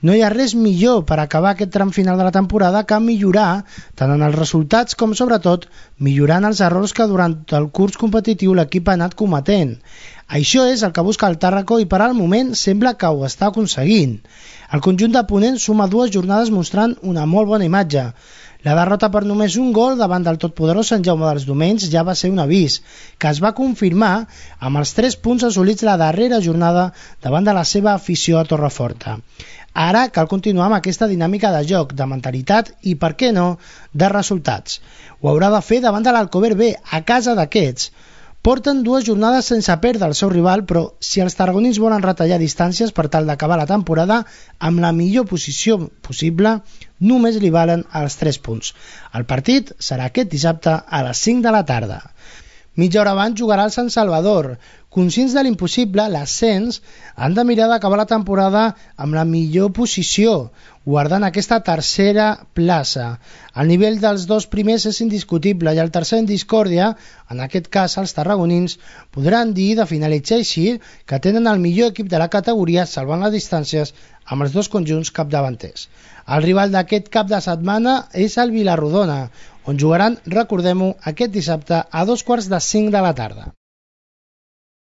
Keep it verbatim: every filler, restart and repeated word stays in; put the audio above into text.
No hi ha res millor per acabar aquest tram final de la temporada que millorar tant en els resultats com, sobretot, millorant els errors que durant el curs competitiu l'equip ha anat cometent. Això és el que busca el Tàrraco i per al moment sembla que ho està aconseguint. El conjunt de Ponent suma dues jornades mostrant una molt bona imatge. La derrota per només un gol davant del totpoderós Sant Jaume dels Domenys ja va ser un avís, que es va confirmar amb els tres punts assolits la darrera jornada davant de la seva afició a Torreforta. Ara cal continuar amb aquesta dinàmica de joc, de mentalitat i, per què no, de resultats. Ho haurà de fer davant de l'Alcover B, a casa d'aquests. Porten dues jornades sense perdre el seu rival, però si els tarragonins volen retallar distàncies per tal d'acabar la temporada amb la millor posició possible, només li valen els tres punts. El partit serà aquest dissabte a les cinc de la tarda. Mitja hora abans jugarà el Sant Salvador. Conscients de l'impossible, l'ascens han de mirar d'acabar la temporada amb la millor posició, guardant aquesta tercera plaça. El nivell dels dos primers és indiscutible i el tercer en discòrdia, en aquest cas els tarragonins, podran dir de finalitzar així que tenen el millor equip de la categoria salvant les distàncies amb els dos conjunts capdavanters. El rival d'aquest cap de setmana és el Vilarrodona, on jugaran, recordem-ho, aquest dissabte a dos quarts de cinc de la tarda.